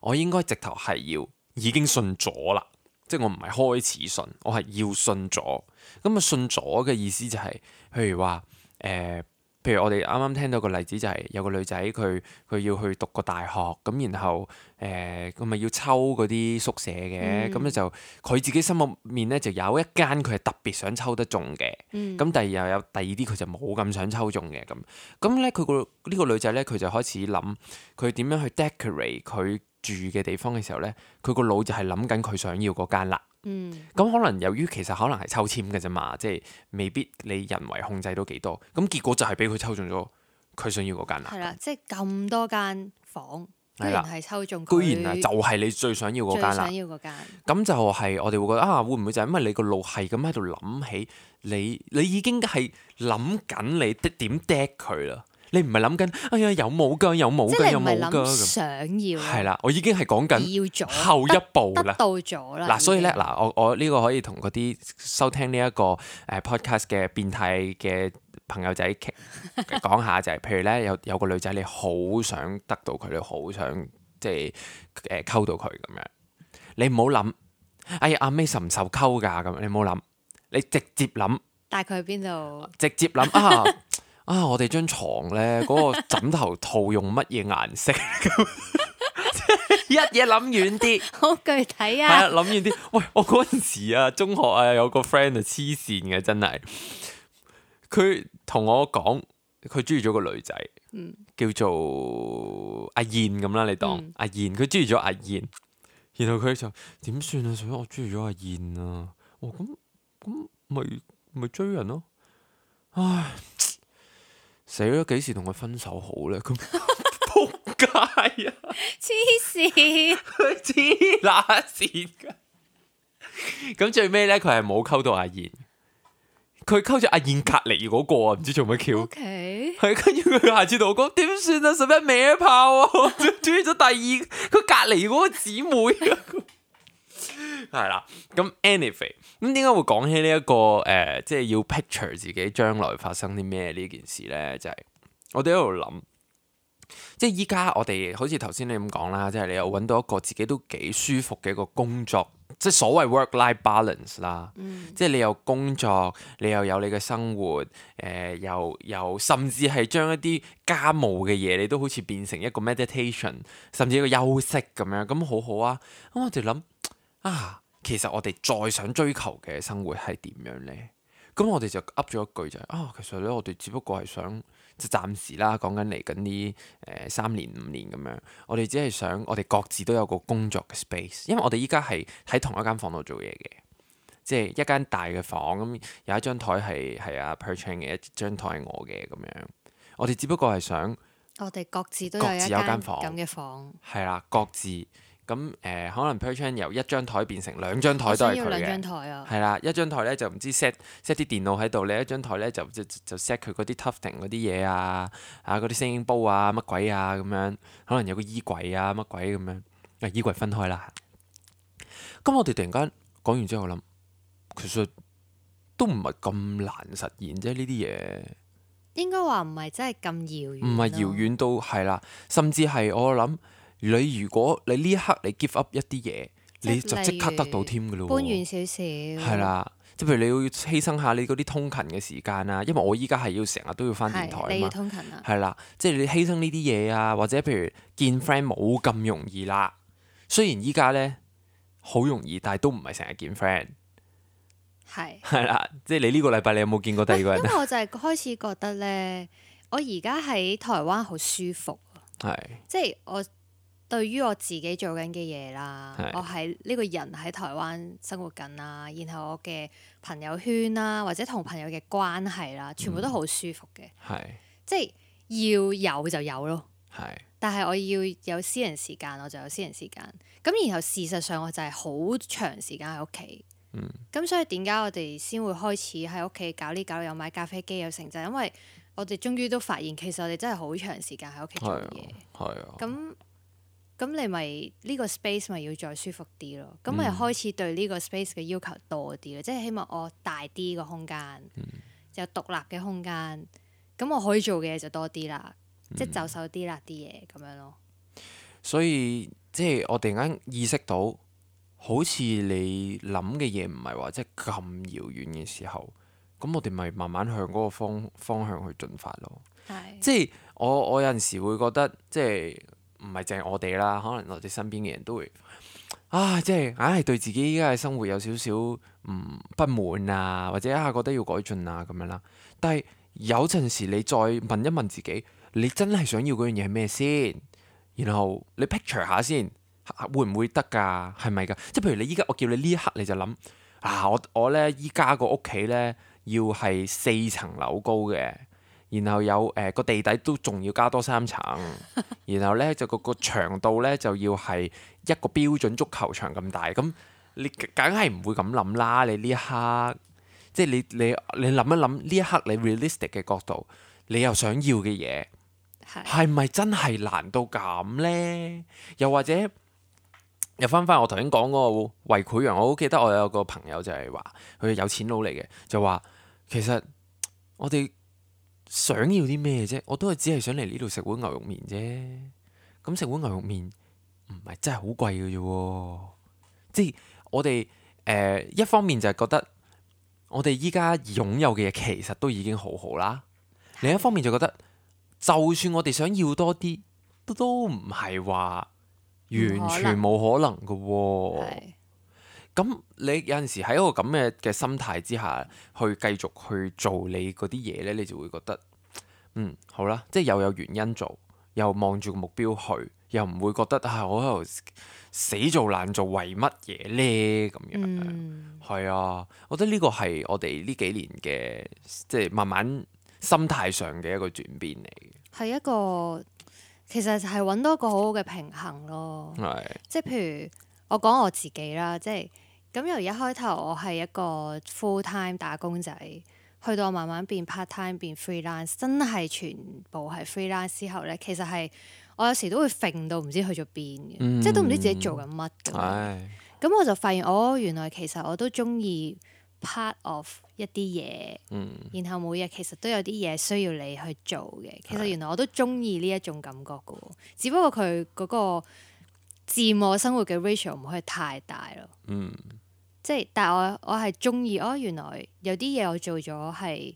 B: 我應該直頭係要已經信咗啦，即係我唔係開始信，我係要信咗。咁啊，信咗嘅意思就係、是，譬如話誒。呃譬如我哋啱啱聽到個例子就係有個女仔佢佢要去讀個大學，咁然後誒佢咪要抽嗰啲宿舍嘅，咁咧、嗯、就佢自己心入面咧就有一間佢係特別想抽得中嘅，咁、嗯、第二又有第二啲佢就冇咁想抽中嘅咁，咁咧佢個呢個女仔咧佢就開始諗佢點樣去 decorate 佢住嘅地方嘅時候咧，佢個腦就係諗緊佢想要嗰間啦。嗯，咁可能由於其實可能係抽籤嘅啫嘛，即係未必你人為控制到幾多，咁結果就係俾佢抽中咗佢想要嗰間啦。係啦，
A: 即係咁多間房，居然係抽中，
B: 居然啊，就係你最想要嗰間啦。最想要嗰間，咁就係我哋會覺得啊，會唔會就係因為你個腦係咁喺度諗起你，你已經係諗緊你點 deck 佢啦。你唔係諗緊，哎呀有冇㗎，有冇㗎，有冇㗎咁。想要係啦，我已經係講緊後一步啦。得到咗啦。嗱，所以咧，嗱，我我呢個可以同嗰啲收聽呢一個誒 podcast 嘅變態嘅朋友仔傾講下就係、是，譬如咧有有個女仔你好想得到佢，你好想即係誒溝到佢咁樣，你唔好諗，哎呀阿 May 受唔受溝㗎咁，你唔好諗，你直接諗，
A: 帶佢去邊度？
B: 直接諗啊啊！我哋張床咧嗰、那個枕頭套用乜嘢顏色？一嘢諗遠啲，
A: 好具體啊！
B: 係啊，諗遠啲。喂，我嗰陣時啊，中學啊，有個 friend 啊，黐線嘅真係。佢同我講，佢中意咗個女仔，
A: 嗯、
B: 叫做阿燕咁啦，你當、嗯、阿燕。佢中意咗阿燕，然後佢就點算啊？所以我中意咗阿燕啊！哦，咁咁咪咪追人咯。唉，死咗幾時同佢分手好咧？咁仆街啊！
A: 黐線，
B: 佢黐乸線噶。咁最尾咧，佢係冇溝到阿燕。佢溝咗阿燕隔離嗰個啊，唔知做乜 Q。
A: OK。
B: 係跟住佢下次同我講點算啊？十一尾一炮啊！中意咗第二，佢隔離嗰個姊妹啊。係啦，咁 anyway，咁點解會講起呢、這、一個誒、呃，即係要 picture 自己將來發生啲咩呢件事咧？就係、是、我哋喺度諗，即係依家我哋好似頭先你咁講啦，即係你又揾到一個自己都幾舒服嘅一個工作。即係所謂 work-life balance 啦，嗯、即係你有工作，你又有你嘅生活，誒、呃，又又甚至係將一啲家務嘅嘢，你都好似變成一個 meditation，甚至一個休息咁樣，咁好好啊！咁我哋諗啊，其實我哋再想追求嘅生活係點樣呢？咁我哋就噏咗一句就係、是、啊，其實咧我哋只不過係想。就暫時啦，講緊嚟緊呢誒三年五年咁樣，我哋只係想我哋各自都有個工作嘅 space，因為我哋依家係喺同一間房度做嘢嘅，即係一間大嘅房咁，有一張台係係阿 Perchan 嘅，一張台係我嘅咁樣，我哋只不過係想
A: 我哋各自都有一間房咁嘅房，
B: 係啦，各自。咁誒、呃，可能 Perchan 由一張台變成兩張台都係佢嘅，係啦，一張台咧就唔知 set set 啲電腦喺度，另一張台咧就就就 set 佢嗰啲 tufting 嗰啲嘢啊，啊嗰啲聲音煲啊乜鬼啊咁樣，可能有個衣櫃啊乜鬼咁樣，啊衣櫃分開啦。咁我哋突然間講完之後，我諗其實都唔係咁難實現啫，呢啲嘢
A: 應該話唔係真係咁遙遠，
B: 唔係遙遠到係啦，甚至係我諗。你如果你呢一刻你 give up 一啲嘢，你就即刻得到添㗎咯喎。
A: 搬遠少少。係
B: 啦，即係譬如你要犧牲下你嗰啲通勤嘅時間啊，因為我依家係要成日都要返電台啊嘛。
A: 你要通勤啊。
B: 係啦，即係你犧牲呢啲嘢啊，或者譬如見 friend 冇咁容易啦。雖然依家咧好容易，但係都唔係成日見 friend。係。係啦，即係你呢個禮拜你有冇見過第二個人？
A: 因為我就係開始覺得咧，我而家喺台灣好舒服啊。係。即係我。對於我自己做緊嘅嘢啦，是我係呢個人喺台灣生活緊啦，然後我嘅朋友圈啦，或者同朋友嘅關係啦，全部都好舒服嘅，是即係要有就有咯。是但係我要有私人時間，我就有私人時間。咁然後事實上我就係好長時間喺屋企。咁、嗯、所以點解我哋先會開始喺屋企搞呢搞，有買咖啡機有成就，因為我哋終於都發現其實我哋真係好長時間喺屋企做嘢。係啊，咁。咁你咪呢個 space 咪要再舒服啲咯，咁咪、嗯、開始對呢個 space 嘅要求多啲咯，即係希望我大啲個空間，嗯、有獨立嘅空間，咁我可以做嘅嘢就多啲啦，嗯、即係就手啲啦啲嘢咁樣咯。所
B: 以即係我突然間意識到，好似你諗嘅嘢唔係話即係咁遙遠嘅時候，咁我哋咪慢慢向嗰個方方向去進發咯。係即係我我有陣時會覺得即係。唔係淨係我哋啦，可能我哋身邊嘅人都會啊，即係硬係對自己依家嘅生活有少少唔不滿啊，或者啊覺得要改進啊咁樣啦。但係有陣時你再問一問自己，你真係想要嗰樣嘢係咩先？然後你 picture 下先，會唔會得㗎？係咪㗎？即係譬如你依家我叫你呢一刻你就諗啊，我我咧依家個屋企咧要係四層樓高嘅。然後有誒個、呃、地底都仲要加多三層，然後咧就個個長度咧就要係一個標準足球場咁大，咁你梗係唔會咁諗啦！你呢一刻，即係你你你諗一諗呢一刻你 realistic 嘅角度，你又想要嘅嘢係咪真係難到咁咧？又或者又翻翻我頭先講嗰個為潰瘍，我好記得我有個朋友就係話佢係有錢佬嚟嘅，就話其實我哋。想要啲咩啫？我都係只係想嚟呢度食碗牛肉麵啫。咁食碗牛肉麵唔係真係好貴嘅啫喎。即係我哋誒、呃、一方面就係覺得我哋依家擁有嘅嘢其實都已經好好啦。另一方面就覺得，就算我哋想要多啲，都唔係話完全冇可能嘅喎。咁你有陣時喺一個咁嘅嘅心態之下，去繼續去做你嗰啲嘢咧，你就會覺得嗯好啦，即係又有原因做，又望住個目標去，又唔會覺得啊我喺度死做爛做為乜嘢咧咁樣。係、嗯、啊，我覺得呢個係我哋呢幾年嘅即係慢慢心態上嘅一個轉變嚟嘅。係
A: 一個其實係揾到一個好好嘅平衡咯。
B: 係
A: 即係譬如我講我自己啦，即係。咁由一開頭我係一個 full time 打工仔，去到我慢慢變 part time 變 freelance，真係全部係 freelance 之後咧，其實係我有時都會揈到唔知去咗邊嘅，嗯、即係都唔知自己做緊乜咁。咁唉我就發現，哦，原來其實我都中意 part of 一啲嘢，嗯、然後每日其實都有啲嘢需要你去做嘅。其實原來我都中意呢一種感覺嘅，只不過佢嗰個佔我生活嘅 ratio 唔可以太大咯。嗯即係，但係我我係中意哦。原來有啲嘢我做咗係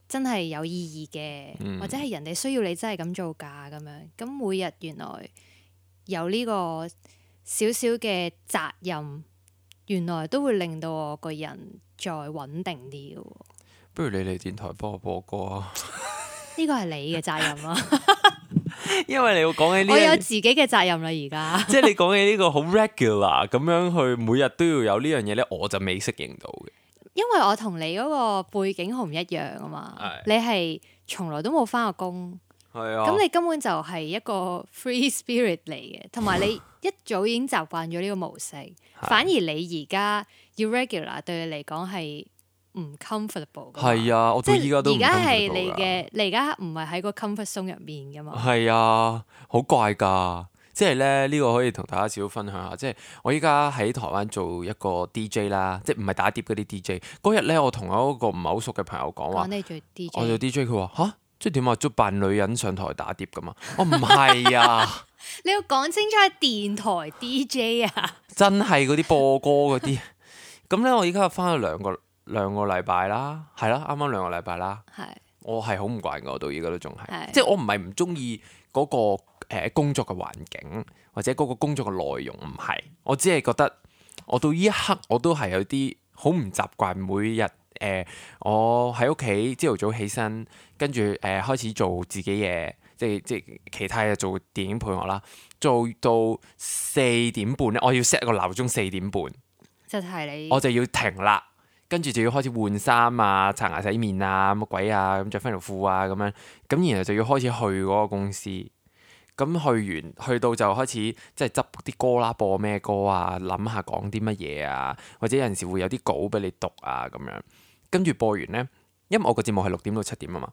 A: 真係有意義嘅，嗯、或者係人哋需要你真係咁做㗎咁樣。咁每日原來有呢個少少嘅責任，原來都會令到我個人再穩定啲嘅。
B: 不如你嚟電台幫我播歌啊！
A: 呢個係你嘅責任啊！
B: 因為你要講起呢，
A: 我有自己嘅責任啦，而家
B: 即係你講起呢個好 regular 咁樣去每日都要有呢樣嘢咧，我就未適應到嘅。
A: 因為我同你嗰個背景好唔一樣啊嘛，是你係從來都冇返過工，係啊，咁你根本就係一個 free spirit 嚟嘅，同埋你一早已經習慣咗呢個模式，是反而你而家要 regular 對你嚟講係唔 comfortable 噶，係啊，我到依家都唔 comfortable。而家係你嘅，你而家唔係喺個 comfort zone 入面噶嘛？
B: 係啊，好怪噶，即係咧呢個可以同大家少少分享下。即係我依家喺台灣做一個 D J 啦，即係唔係打碟嗰啲 D J。嗰日咧，我同我一個唔係好熟嘅朋友講話，
A: 你做 D J，
B: 我做 D J，佢話吓，即係點啊？捉扮女人上台打碟噶嘛？我唔係啊，
A: 你要講清楚係電台 D J 啊，
B: 真係嗰啲播歌嗰啲。咁咧，我依家翻咗兩個。兩個禮拜啦，係啦，啱啱兩個禮拜啦。係是，我係好唔慣嘅，我到而家都仲係，是即係我唔係唔中意嗰個誒、呃、工作嘅環境或者嗰個工作嘅內容，唔係，我只係覺得我到呢一刻我都係有啲好唔習慣。每日誒、呃，我喺屋企朝頭早起身，跟住誒開始做自己嘢，即係即係其他嘢做電影配樂啦，做到四點半咧，我要 set 個鬧鐘四點半，
A: 就係你，
B: 我就要停啦。跟住就要開始換衫啊、刷牙洗面啊、乜鬼啊、咁著翻條褲啊咁樣，咁然後就要開始去嗰個公司。咁去完去到就開始即係執啲歌啦，播咩歌啊，諗下講啲乜嘢啊，或者有陣時會有啲稿俾你讀啊咁樣。跟住播完呢，因為我個節目係六點到七點啊嘛。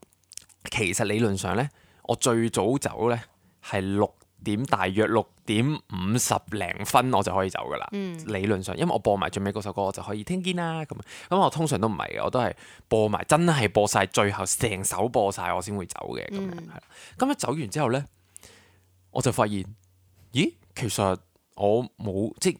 B: 其實理論上呢，我最早走呢係六點，大約六點五十零分我就可以走噶啦。嗯、理論上，因為我播埋最尾嗰首歌，我就可以聽見啦。咁咁我通常都唔係嘅，我都係播埋真係播晒最後成首播晒，我先會走嘅。咁樣係啦。咁一走完之後呢，我就發現，咦，其實我冇即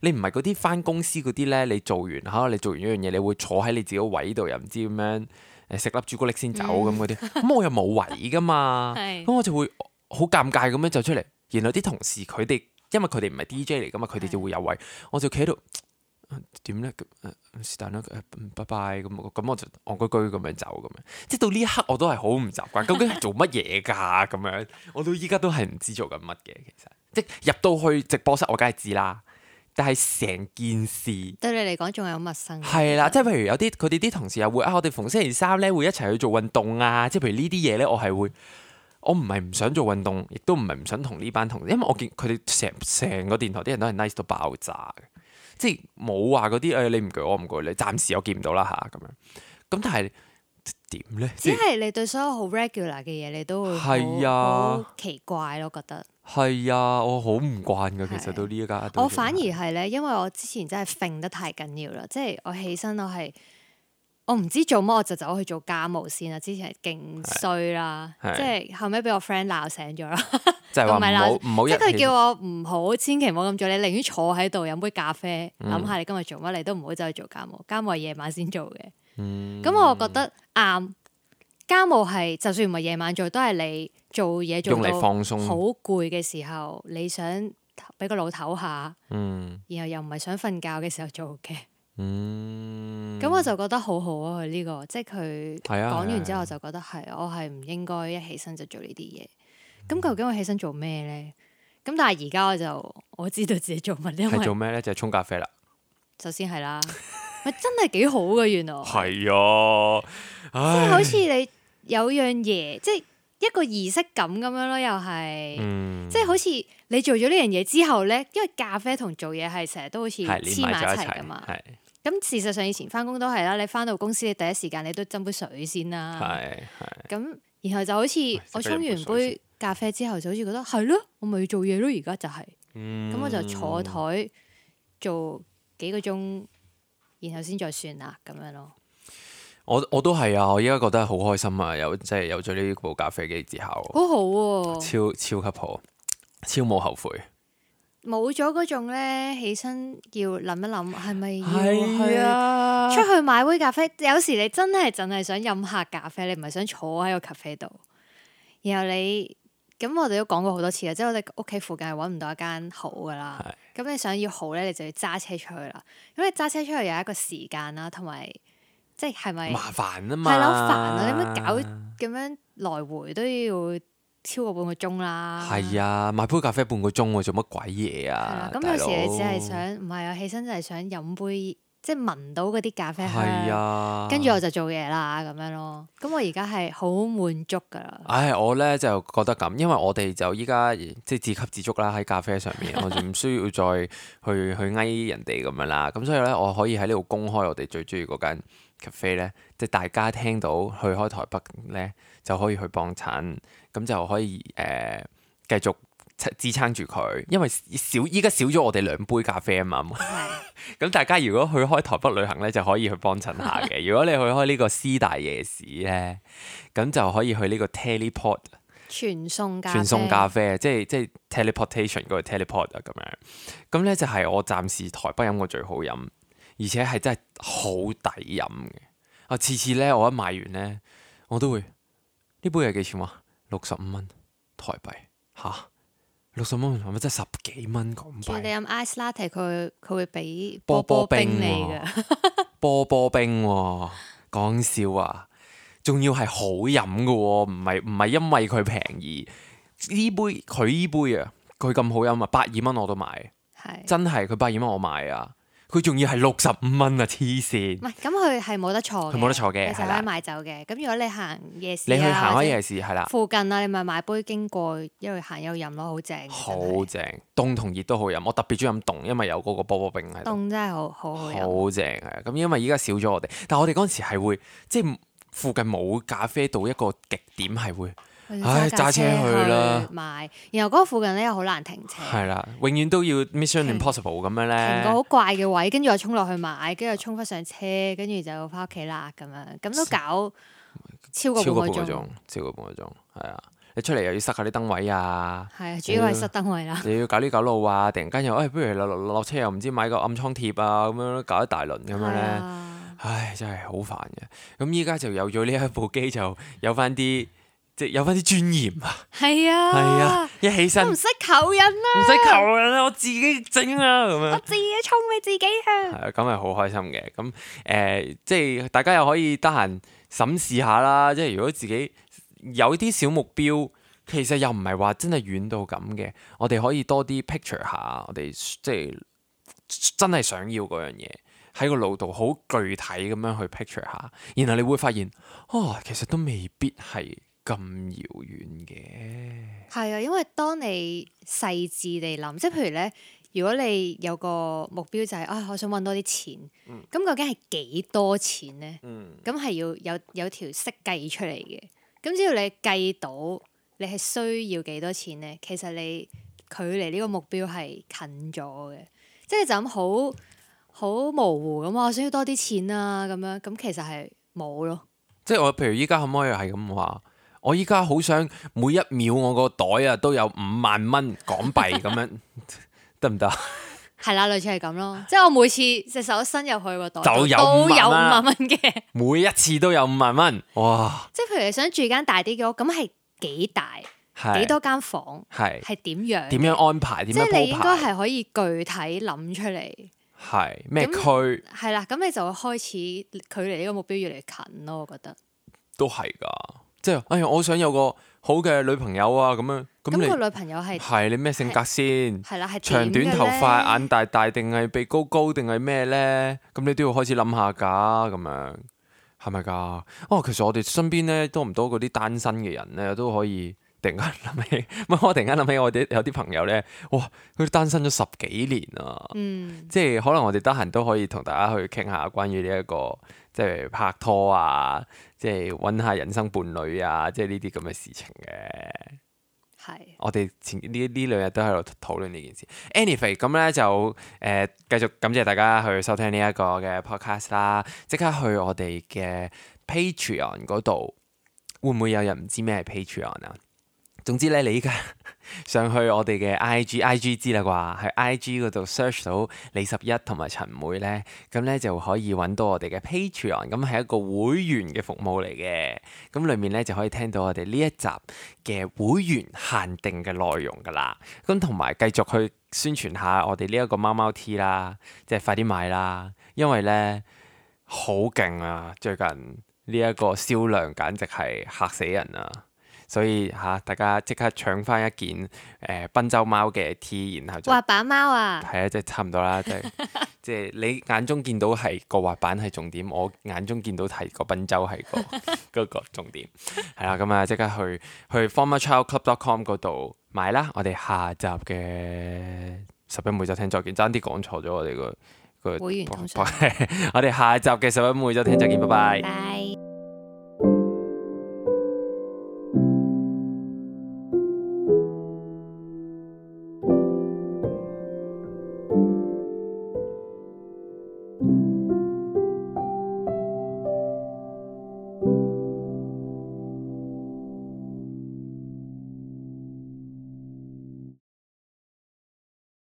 B: 你唔係嗰啲返公司嗰啲呢。你做完嚇，你做完一樣嘢，你會坐喺你自己個位度，又唔知點樣誒食粒朱古力先走咁嗰啲。咁、嗯、我又冇位噶嘛，咁是我就會好尷尬咁樣走出嚟。然後啲同事佢哋，因為佢哋唔係 D J 嚟噶嘛，佢哋就會有位，是我就企喺度點咧？是但啦，拜拜咁，咁我就戇居居咁樣走咁樣。即係到呢一刻我都係好唔習慣，究竟係做乜嘢㗎咁樣？我到依家都係唔知做緊乜嘅，其實即係入到去直播室，我梗係知啦。但係成件事
A: 對你嚟講仲係好陌生。
B: 係啦，即係譬如有啲佢哋啲同事又會啊，我哋逢星期三咧會一齊去做運動啊。即係譬如呢啲嘢咧，我係會。我唔係唔想做運動，亦都唔係唔想同呢班同事，因為我見佢哋成成個電台啲人都係 nice 到爆炸嘅，即係冇話嗰啲誒你唔攰我唔攰你，暫時我見唔到啦嚇咁樣。咁但係點咧？
A: 只係你對所有好 regular 嘅嘢，你都會
B: 係啊，
A: 好奇怪咯，覺得
B: 係啊，我好唔慣㗎。其實到呢一家，
A: 我反而係咧，因為我之前真係揈得太緊要啦，即係我起身我係我唔知做乜，我就走去做家務先啦。之前係勁衰啦，即係後尾俾我 friend 鬧醒咗啦。
B: 就係話唔好唔好，
A: 即係佢叫我唔好，千祈唔好咁做。你寧願坐喺度飲杯咖啡，諗、嗯、下你今日做乜，你都唔好走去做家務。家務係夜晚先做嘅。咁、嗯、我覺得啱。家務係就算唔係夜晚做，都係你做嘢做到好攰嘅時候，你想俾個腦唞下，嗯、然後又唔係想瞓覺嘅時候做嘅。咁、嗯、我就覺得好好啊！佢呢、這個即係佢講完之後，我就覺得係我係唔應該一起身就做呢啲嘢。咁、嗯、究竟我起身做咩咧？咁但係而家我就我知道自己做乜，因為
B: 係做咩咧？就係、是、沖咖啡啦。首
A: 先係啦，咪真係幾好㗎，原來
B: 係啊，
A: 即係好似你有樣嘢，即係一個儀式感咁樣咯，又係，嗯、即係好似你做咗呢樣嘢之後咧，因為咖啡同做嘢係成日都好似黐埋一齊噶嘛。咁事實上以前翻工都係啦，你翻到公司你第一時間你都斟杯水先啦。咁然後就好似我沖完杯咖啡之後，就好似覺得係咯，我咪要做嘢咯，而家就係、是。咁、嗯、我就坐台做幾個鐘，然後先再算啦，咁樣咯。
B: 我我都係啊！我依家覺得好開心啊！有即係有咗呢部咖啡機之後，
A: 好好喎、啊，
B: 超超級好，超冇後悔。
A: 冇咗嗰種咧，起身要諗一諗，係咪要去、啊、出去買杯咖啡？有時你真係淨係想飲下咖啡，你唔係想坐喺個咖啡度。然後你咁，我哋都講過好多次啦，即係我哋屋企附近係揾唔到一間好噶啦。咁是你想要好咧，你就要揸車出去啦。咁你揸車出去有一個時間啦，同埋即係係咪
B: 麻煩啊嘛？
A: 係咯，煩啊！你乜搞咁樣來回都要超過半個鐘啦。係
B: 啊，買杯咖啡半個鐘喎，做乜鬼嘢啊？
A: 咁有時你只係想唔係啊？起身就係想飲杯，即係聞到嗰啲咖啡香，
B: 啊、
A: 跟住我就做嘢啦咁樣咯。咁我而家係好滿足噶啦。
B: 唉，我咧就覺得咁，因為我哋就依家即係自給自足啦，喺咖啡上面，我就唔需要再去去翳人哋咁樣啦。咁所以咧，我可以喺呢度公開我哋最中意嗰間咖啡咧，即係大家聽到去開台北咧就可以去幫襯，咁就可以誒、呃、繼續支撐住佢，因為少依家少咗我哋兩杯咖啡啊嘛。咁大家如果去開台北旅行咧，就可以去幫襯下嘅。如果你去開呢個師大夜市咧，咁就可以去呢個 teleport
A: 傳送咖啡，
B: 傳送咖啡，即係即係 teleportation 嗰個 teleport 啊咁樣。咁咧就係我暫時台北飲過最好飲，而且係真係好抵飲嘅。啊，次次咧我一買完咧，我都會呢杯係幾錢啊？六十五蚊台幣嚇。六十蚊係咪真係十幾蚊港幣？
A: 你飲 ice latte，佢佢會俾波波冰你㗎。
B: 波波冰喎，講笑啊！仲要係好飲㗎喎，唔係唔係因為佢平宜。呢杯佢呢杯啊，佢咁好飲啊，百二蚊我都買。係是真係佢百二蚊我買啊！佢仲要係六十五蚊啊！黐線。唔係，
A: 咁佢係冇得坐嘅。
B: 佢冇得坐嘅，
A: 其實可以買走嘅。咁的如果你行夜市、啊，
B: 你去行開夜市係啦。
A: 附近啊，你咪買杯經過，一路行一路飲咯，好正。
B: 好正，凍同熱都好飲。我特別中意飲凍，因為有嗰個波波冰喺度。
A: 凍真係好好好飲。
B: 好正係。咁因為依家少咗我哋，但係我哋嗰陣時係會，即係附近冇咖啡到一個極點係會。唉，揸車去啦，
A: 買，然後嗰個附近咧又好難停車，
B: 係啦，永遠都要 Mission Impossible 咁樣咧，
A: 停個好怪嘅位，跟住我衝落去買，跟住衝翻上車，跟住就翻屋企啦，咁樣，咁都搞超過半個鐘，
B: 超過半個鐘，係啊，你出嚟又要塞下啲燈位啊，
A: 係啊，主要係塞燈位啦，
B: 你要搞呢搞路啊，突然間又，誒，不如落落落車又唔知買個暗瘡貼啊，咁樣搞一大輪咁樣咧，唉，真係好煩嘅，咁依家就有咗呢一部機，就有翻啲。即係有翻啲尊嚴啊！
A: 係啊，
B: 係啊，一起身
A: 唔使求人啦，
B: 唔使求人啦，我自己整啊，咁樣
A: 我自己沖俾自己啊！
B: 係啊，咁係好開心嘅。咁誒、呃，即係大家又可以得閒審視下啦。即係如果自己有啲小目標，其實又唔係話真係遠到咁嘅。我哋可以多啲 picture 下，我哋即係真係想要嗰樣嘢喺個腦度好具體咁樣去 picture 下，然後你會發現，哦，其實都未必係咁遙遠嘅。
A: 係啊，因為當你細緻地諗，即係譬如咧，如果你有個目標就係、是、啊，我想揾多啲錢，咁、嗯、究竟係幾多錢咧？咁係、嗯、要有有條式計出嚟嘅。咁只要你計到你係需要幾多錢咧，其實你距離呢個目標係近咗嘅。即係就咁好好模糊咁，我想要多啲錢啊咁樣，咁其實係冇咯。
B: 即係我譬如依家可唔可以係咁話？我依家好想每一秒我個袋啊都有五萬蚊港幣咁樣，得唔得？
A: 係啦，類似係咁咯。即係我每次隻手伸入去個袋
B: 就有
A: 都有五萬蚊嘅，
B: 每一次都有五萬蚊，哇！
A: 即係譬如你想住間大啲嘅屋，咁係幾大？幾多間房？係係點樣？
B: 點樣安排？點樣鋪排？
A: 即係你應該係可以具體諗出嚟。
B: 係咩區？
A: 係啦，咁你就會開始距離呢個目標越嚟越近咯。我覺得
B: 都係㗎，即係哎呀，我想有個好嘅女朋友啊，咁樣咁你
A: 個女朋友係
B: 係你咩性格先？
A: 係啦，係
B: 長短頭髮、眼大大定係鼻高高定係咩咧？咁你都要開始諗下㗎，咁樣係咪㗎？哦，其實我哋身邊咧多唔多嗰啲單身嘅人咧都可以。突然間諗起，我突然間諗起我哋有啲朋友咧，哇！佢單身咗十幾年啊，
A: 嗯、即
B: 係可能我哋得閒都可以同大家去傾下關於呢一個即係拍拖啊，即係揾下人生伴侶啊，即係呢啲咁嘅事情嘅。係是，我哋前呢呢兩日都喺度討論呢件事。Anyway，咁咧就誒、呃、繼續感謝大家去收聽呢一個嘅 podcast 啦，即刻去我哋嘅 Patreon 嗰度，會唔會有人唔知咩係 Patreon 啊？總之咧，你依家上去我哋嘅 I G，I G 知啦啩，喺 I G 嗰度 search 到李十一同埋陳妹咧，咁咧就可以揾到我哋嘅 Patreon，咁係一個會員嘅服務嚟嘅，咁裡面咧就可以聽到我哋呢一集嘅會員限定嘅內容噶啦，咁同埋繼續去宣傳下我哋呢一個貓貓 T 啦，即係快啲買啦，因為咧好勁啊，最近呢一個銷量簡直係嚇死人啊！所以嚇、啊，大家即刻搶翻一件誒賓州貓嘅 T， 然後就
A: 滑板貓啊，
B: 係啊，即係差唔多啦，即係即係你眼中見到係個滑板係重點，我眼中見到係個賓州係個嗰個重點，係啦，咁啊即刻去去 former child club dot com 嗰度買啦，我哋下集嘅十一每週聽再見，爭啲講錯咗我哋個個
A: 會員通訊，
B: 我哋下集嘅十一每週聽再見，拜拜。
A: 拜。